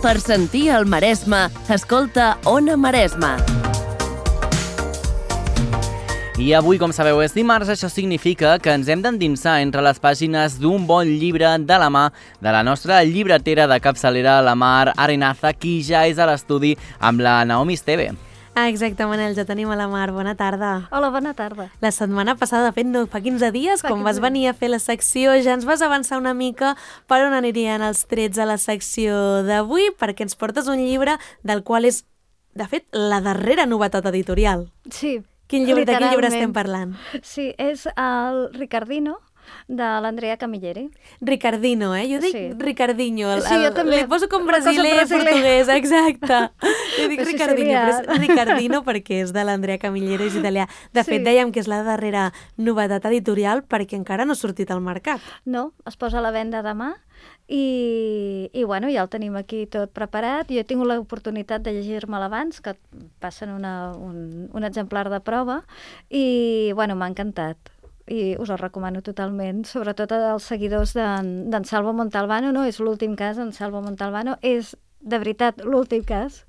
Per sentir el Maresme, escolta Ona Maresme. I avui, com sabeu, és dimarts, això significa que ens hem d'endinsar entre les pàgines d'un bon llibre de la mà de la nostra llibretera de capçalera, la Mar Arenaza, qui ja és a l'estudi amb la Naomi Esteve. Exacte, Manel, ja tenim a la Mar. Bona tarda. Hola, bona tarda. La setmana passada, de fet, no, fa 15 dies, quan vas venir a fer la secció, ja ens vas avançar una mica per on anirien els trets a la secció d'avui, perquè ens portes un llibre del qual és, de fet, la darrera novetat editorial. Sí, De quin llibre estem parlant? Sí, és el Ricardino, de l'Andrea Camilleri. Ricardino, Jo dic Ricardinho. Sí, jo també. Li poso com brasiler, portuguès, exacte. Jo dic Ricardinho, però és Ricardino perquè és de l'Andrea Camilleri, és italià. De fet, dèiem que és la darrera novetat editorial perquè encara no ha sortit al mercat. No, es posa a la venda demà i bueno, ja el tenim aquí tot preparat. Jo he tingut l'oportunitat de llegir-me'l abans, que passen un exemplar de prova, i bueno, m'ha encantat. I us el recomano totalment, sobretot als seguidors d'en Salvo Montalbano, no? És l'últim cas d'en Salvo Montalbano, és de veritat l'últim cas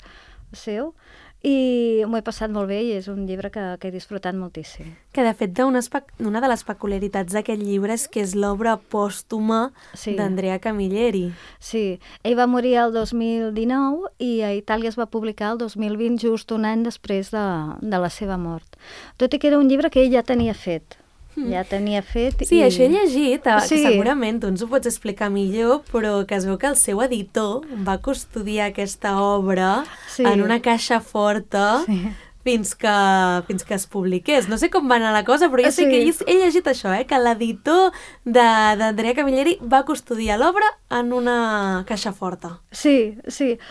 seu, i m'ho he passat molt bé i és un llibre que he disfrutat moltíssim. Que de fet una de les peculiaritats d'aquest llibre és que és l'obra pòstuma d'Andrea Camilleri. Sí, ell va morir el 2019 i a Itàlia es va publicar el 2020, just un any després de la seva mort. Tot i que era un llibre que ell ja tenia fet. Ja tenia fet. Sí, això he llegit, que segurament tu ens ho pots explicar millor, però que es veu que el seu editor va custodiar aquesta obra en una caixa forta fins que es publiqués. No sé com va anar la cosa, però jo sé que he llegit això, que l'editor d'Andrea Camilleri va custodiar l'obra en una caixa forta. Sí.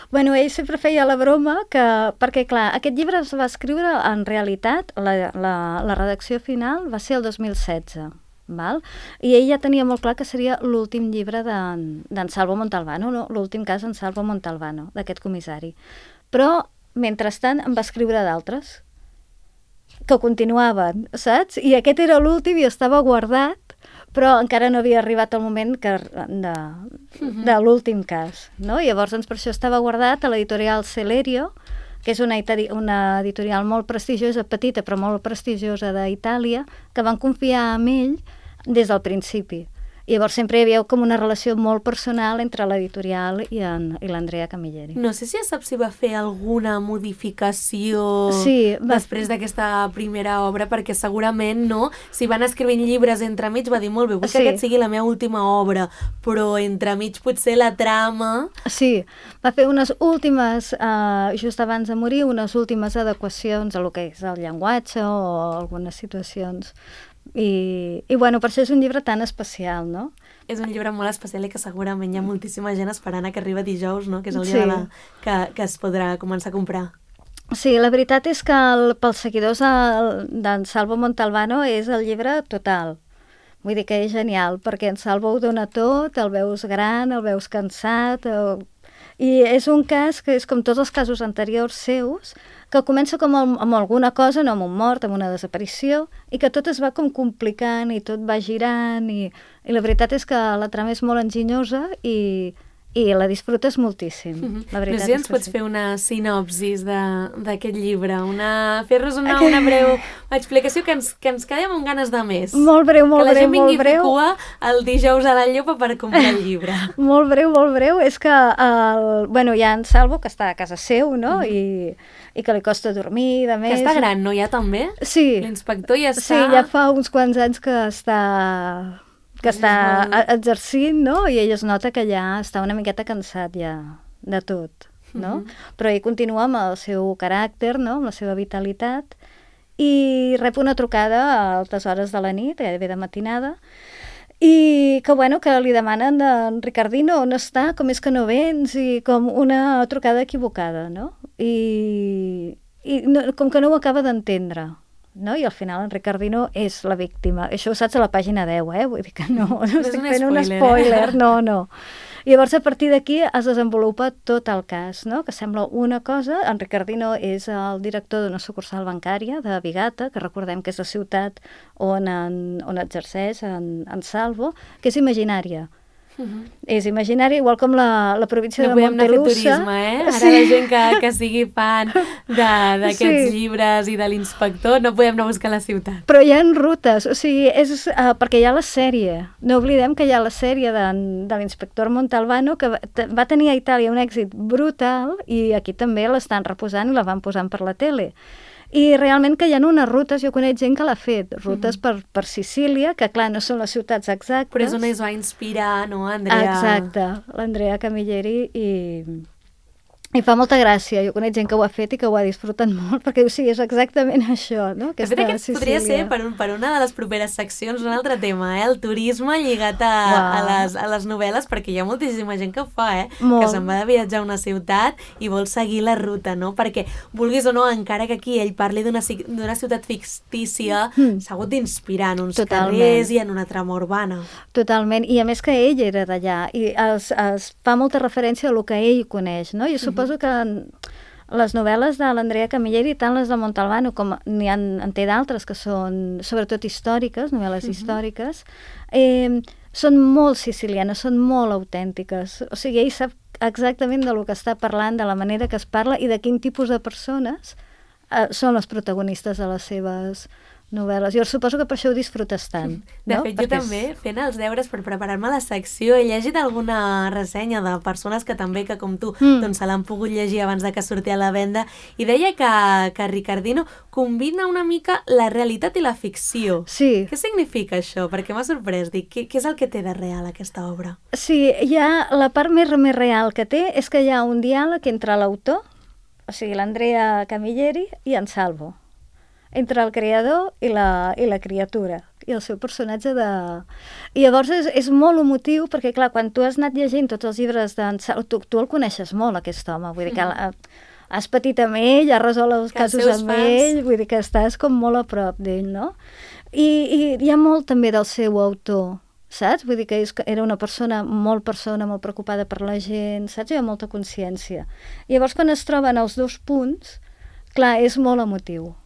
Bueno, ell sempre feia la broma perquè, clar, aquest llibre es va escriure en realitat, la redacció final va ser el 2016, val? I ell ja tenia molt clar que seria l'últim llibre d'en Salvo Montalbano, no? L'últim cas d'en Salvo Montalbano, d'aquest comissari. Però mentrestant en va escriure d'altres que continuaven, saps? I aquest era l'últim i estava guardat, però encara no havia arribat el moment de l'últim cas, no? Llavors, per això estava guardat a l'editorial Celerio, que és una editorial molt prestigiosa, petita però molt prestigiosa d'Itàlia, que van confiar en ell des del principi. I llavors sempre hi havia com una relació molt personal entre l'editorial i l'Andrea Camilleri. No sé si ja saps si va fer alguna modificació després d'aquesta primera obra, perquè segurament no. Si van escrivint llibres entremig va dir molt bé, vull que aquest sigui la meva última obra, però entremig potser la trama... Sí, va fer unes últimes, just abans de morir, unes últimes adequacions a lo que és el llenguatge o algunes situacions. I bueno, per això és un llibre tan especial, no? És un llibre molt especial i que segurament hi ha moltíssima gent esperant que arriba dijous, no? Que és el dia que es podrà començar a comprar. Sí, la veritat és que pels seguidors d'en Salvo Montalbano és el llibre total. Vull dir que és genial, perquè en Salvo ho dona tot, el veus gran, el veus cansat... I és un cas que és com tots els casos anteriors seus, que comença com amb alguna cosa, no amb un mort, amb una desaparició, i que tot es va com complicant i tot va girant, i la veritat és que la trama és molt enginyosa i la disfrutes moltíssim. La veritat no sé si ens pots fer una sinopsis d'aquest llibre, fer-nos una breu explicació que ens quedem amb ganes de més. Molt breu, molt breu. Que la gent vingui a fer cua el dijous a la Llopa per comprar el llibre. Molt breu. És que hi ha en Salvo, que està a casa seu, no? I que li costa dormir, de més. Que està gran, no? Ja també? Sí. L'inspector ja està... Sí, ja fa uns quants anys que està exercint, no? I ell es nota que ja està una miqueta cansat ja de tot, no? Però ell continua amb el seu caràcter, no? Amb la seva vitalitat, i rep una trucada a altes hores de la nit, gairebé de matinada, i que li demanen d'en Ricardino on està, com és que no vens, i com una trucada equivocada, no? I com que no ho acaba d'entendre, no? I al final en Ricardino és la víctima. Això ho saps a la pàgina 10, Vull dir que no estic fent un spoiler. No. I llavors a partir d'aquí es desenvolupa tot el cas, no? Que sembla una cosa. En Ricardino és el director d'una sucursal bancària de Vigata, que recordem que és la ciutat on exerceix en Salvo, que és imaginària. És imaginari, igual com la província de No Montelusa. podem anar a fer turisme, Ara la gent que sigui fan d'aquests llibres i de l'inspector, no podem anar a buscar la ciutat. Però hi ha rutes, o sigui, és perquè hi ha la sèrie. No oblidem que hi ha la sèrie de l'inspector Montalbano, que va tenir a Itàlia un èxit brutal i aquí també l'estan reposant i la van posant per la tele. I realment que hi ha unes rutes, jo conec gent que l'ha fet, rutes per Sicília, que clar, no són les ciutats exactes. Però és on es va inspirar, no, Andrea? Exacte, l'Andrea Camilleri i fa molta gràcia. Jo conec gent que ho ha fet i que ho ha disfrutat molt, perquè o sigui, és exactament això, no? De fet, aquest podria ser per una de les properes seccions un altre tema, el turisme lligat a les novel·les, perquè hi ha moltíssima gent que ho fa, que se'n va de viatjar a una ciutat i vol seguir la ruta, no? Perquè, vulguis o no, encara que aquí ell parli d'una ciutat fictícia, s'ha hagut d'inspirar en uns carrers i en una trama urbana. Totalment, i a més que ell era d'allà, i es fa molta referència a el que ell coneix, no? Jo suposo que les novel·les de l'Andrea Camilleri, tant les de Montalbano com en té d'altres que són sobretot històriques, novel·les històriques, són molt sicilianes, són molt autèntiques. O sigui, ell sap exactament de lo que està parlant, de la manera que es parla i de quin tipus de persones són les protagonistes de les seves novel·les. Jo suposo que per això ho disfrutes tant. De fet, jo també, fent els deures per preparar-me la secció, he llegit alguna ressenya de persones que també, que com tu, doncs se l'han pogut llegir abans de que sortia a la venda, i deia que Ricardino combina una mica la realitat i la ficció. Sí. Què significa això? Perquè m'ha sorprès. Dic, què és el que té de real aquesta obra? Sí, la part més real que té és que hi ha un diàleg entre l'autor, o sigui, l'Andrea Camilleri, i en Salvo, entre el creador i la criatura, i el seu personatge de... I llavors és molt emotiu, perquè clar, quan tu has anat llegint tots els llibres d'en Salvo, tu el coneixes molt, aquest home, vull dir que has patit amb ell, has resolt els casos amb ell, vull dir que estàs com molt a prop d'ell, no? I hi ha molt també del seu autor, saps? Vull dir que era una persona molt preocupada per la gent, saps? Hi ha molta consciència. I llavors quan es troben els dos punts, clar, és molt emotiu.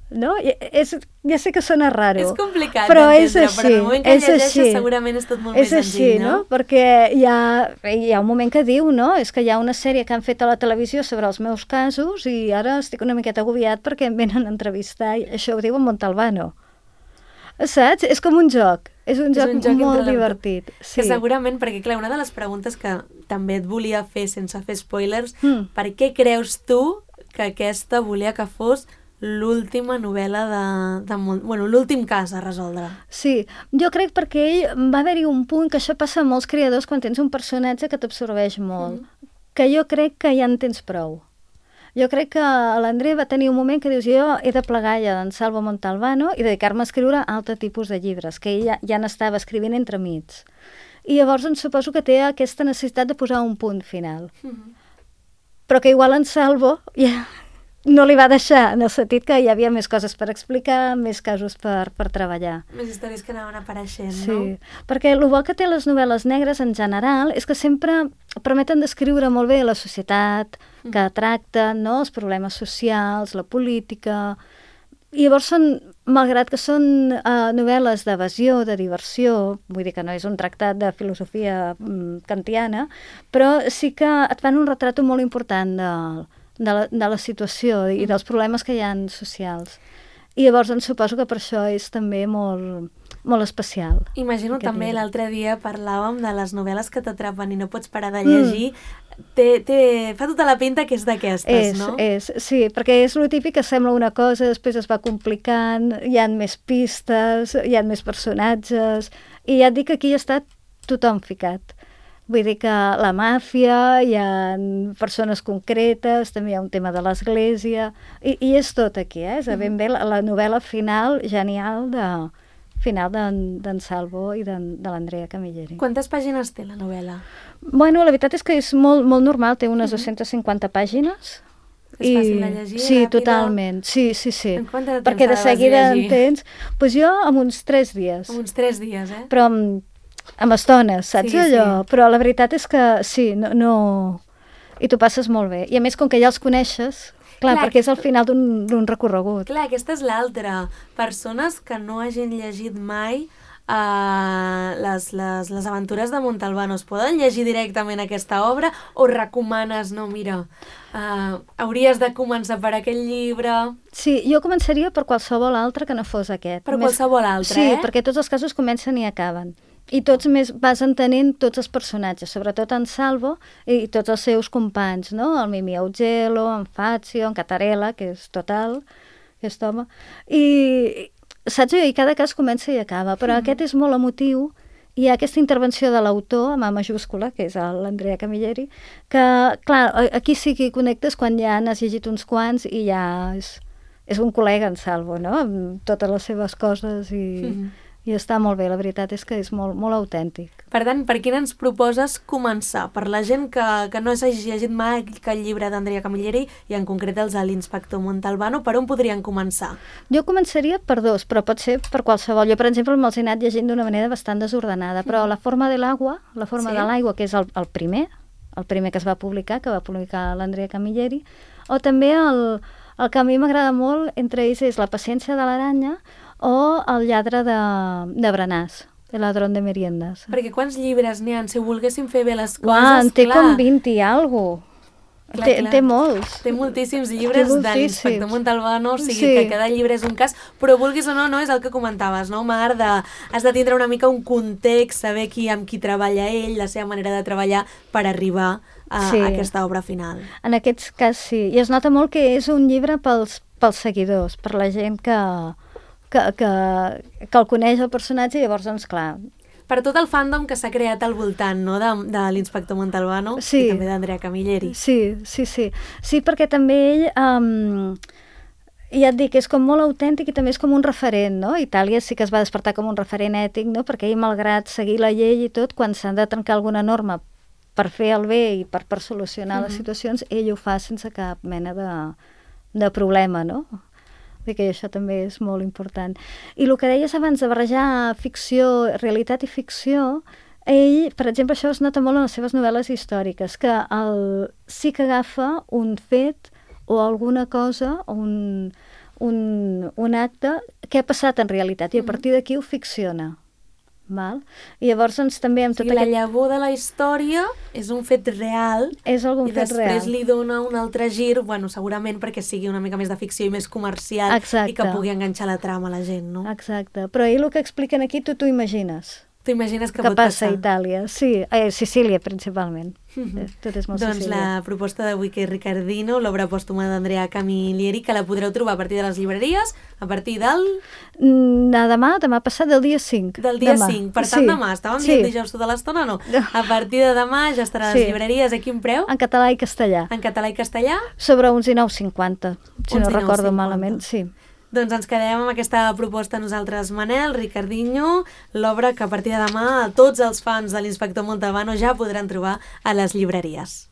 No? Ja sé que sona raro, és complicat però és d'entendre, així, però en el moment que llegeixes segurament és tot molt més senzill, no? Perquè hi ha un moment que diu, no? És que hi ha una sèrie que han fet a la televisió sobre els meus casos i ara estic una miqueta agobiat perquè em venen a entrevistar, i això ho diu en Montalbano. Saps? És com un joc. És un joc molt divertit. Sí. Que segurament, perquè clar, una de les preguntes que també et volia fer sense fer spoilers, per què creus tu que aquesta volia que fos l'última novel·la l'últim cas a resoldre? Sí, jo crec perquè ell va haver-hi un punt, que això passa a molts creadors quan tens un personatge que t'absorbeix molt, que jo crec que ja en tens prou. Jo crec que l'Andrea va tenir un moment que dius, jo he de plegar ja d'en Salvo Montalbano i dedicar-me a escriure altre tipus de llibres, que ell ja n'estava escrivint entremig. I llavors suposo que té aquesta necessitat de posar un punt final. Però que igual en Salvo ja no li va deixar, en el sentit que hi havia més coses per explicar, més casos per treballar. Més històries que anaven apareixent, no? Sí, perquè el bo que té les novel·les negres en general és que sempre permeten descriure molt bé la societat que tracten, no? Els problemes socials, la política... I llavors malgrat que són novel·les d'evasió, de diversió, vull dir que no és un tractat de filosofia kantiana, però sí que et fan un retrat molt important de la situació i dels problemes que hi ha socials. I llavors suposo que per això és també molt, molt especial. Imagino també l'altre dia parlàvem de les novel·les que t'atrapen i no pots parar de llegir. Fa tota la pinta que és d'aquestes, no? Sí, perquè és lo típic que sembla una cosa, després es va complicant, hi ha més pistes, hi ha més personatges, i ja et dic que aquí està tothom ficat. Vull dir que la màfia, hi ha persones concretes, també hi ha un tema de l'església, i és tot aquí, és ben bé la novel·la final genial d'en Salvo i de l'Andrea Camilleri. Quantes pàgines té la novel·la? Bueno, la veritat és que és molt, molt normal, té unes 250 pàgines. És fàcil de llegir? Sí, totalment, sí. En quant de temps perquè de seguida entens... Doncs jo amb uns 3 dies. Amb uns 3 dies, Però amb estones, saps allò? Sí. Però la veritat és que sí, no... I t'ho passes molt bé. I a més, com que ja els coneixes, clar, perquè és al final d'un recorregut. Clar, aquesta és l'altra. Persones que no hagin llegit mai les aventures de Montalbano, es poden llegir directament aquesta obra o recomanes, no, mira, hauries de començar per aquest llibre? Sí, jo començaria per qualsevol altre que no fos aquest. Per qualsevol altre, sí, perquè tots els casos comencen i acaben. I tots més vas entenent tots els personatges, sobretot en Salvo i tots els seus companys, no? El Mimi Augello, en Fazio, en Catarella, que és total, aquest home. I saps? I cada cas comença i acaba, però aquest és molt emotiu. Hi ha aquesta intervenció de l'autor, amb A majúscula, que és l'Andrea Camilleri, que, clar, aquí sí que hi connectes quan ja n'has llegit uns quants i ja és un col·lega en Salvo, no? Amb totes les seves coses i està molt bé, la veritat és que és molt, molt autèntic. Per tant, per quin ens proposes començar? Per la gent que no s'hagi llegit mai el llibre d'Andrea Camilleri i en concret els de l'Inspector Montalbano, per on podrien començar? Jo començaria per dos, però pot ser per qualsevol. Jo, per exemple, me'ls he anat llegint d'una manera bastant desordenada, però La forma de l'aigua, de l'aigua, que és el primer que es va publicar, que va publicar l'Andrea Camilleri, o també el que a mi m'agrada molt, entre ells, és La paciència de l'aranya, o El lladre de Branàs, El ladrón de meriendas. Perquè quants llibres n'hi ha? Si volguéssim fer bé les coses, clar. Té com 20 i alguna cosa. Té molts. Té moltíssims llibres de l'Inspector Montalbano, o sigui que cada llibre és un cas, però vulguis o no, és el que comentaves, no, Mar? Has de tindre una mica un context, saber amb qui treballa ell, la seva manera de treballar per arribar a aquesta obra final. En aquest cas sí, i es nota molt que és un llibre pels seguidors, per la gent que el coneix el personatge, i llavors, doncs, clar... Per tot el fandom que s'ha creat al voltant, no?, de l'Inspector Montalbano i també d'Andrea Camilleri. Sí, perquè també ell, ja et dic, és com molt autèntic i també és com un referent, no? Itàlia sí que es va despertar com un referent ètic, no?, perquè ell, malgrat seguir la llei i tot, quan s'han de trencar alguna norma per fer el bé i per solucionar les situacions, ell ho fa sense cap mena de problema, no? Que això també és molt important. I el que deies abans de barrejar ficció, realitat i ficció, ell, per exemple, això es nota molt en les seves novel·les històriques, que sí que agafa un fet o alguna cosa, o un acte que ha passat en realitat, i a partir d'aquí ho ficciona. Val? I llavors també amb la llavor de la història és un fet real i després li dona un altre gir, bueno, segurament perquè sigui una mica més de ficció i més comercial. Exacte. I que pugui enganxar la trama a la gent, no? Exacte, però ell el que expliquen aquí tu t'ho imagines. T'ho imagines que pot passa a Itàlia, sí, Sicília principalment. Tot és molt doncs Sicília. La proposta d'avui, que és Ricardino, l'obra pòstuma d'Andrea Camilleri, que la podreu trobar a partir de les llibreries, a partir del... Demà passat, del dia 5. Del dia 5, per tant demà, estàvem dient dijous tota l'estona, no? A partir de demà ja estarà a les llibreries, a quin preu? En català i castellà. En català i castellà? Sobre uns 19,50, si no recordo malament, sí. Doncs ens quedem amb aquesta proposta nosaltres, Manel, Ricardinho, l'obra que a partir de demà tots els fans de l'Inspector Montalbano ja podran trobar a les llibreries.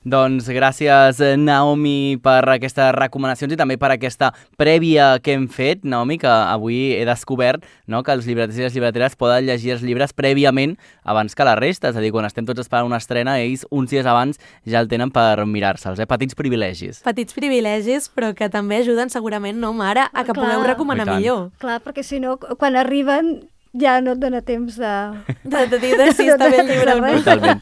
Doncs gràcies, Naomi, per aquestes recomanacions i també per aquesta prèvia que hem fet, Naomi, que avui he descobert, no?, que els llibreters i les llibreteres poden llegir els llibres prèviament abans que la resta, és a dir, quan estem tots esperant una estrena, ells uns dies abans ja el tenen per mirar-se'ls, Petits privilegis. Petits privilegis, però que també ajuden segurament, no, Mare, a que pugueu recomanar millor. Clar, perquè si no, quan arriben... ja no et dona temps de dir si està bé el llibre o no. Totalment.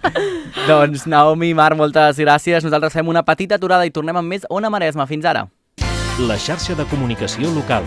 Doncs, Naomi, Mar, moltes gràcies. Nosaltres fem una petita aturada i tornem amb més Ona Maresma. Fins ara. La xarxa de comunicació local.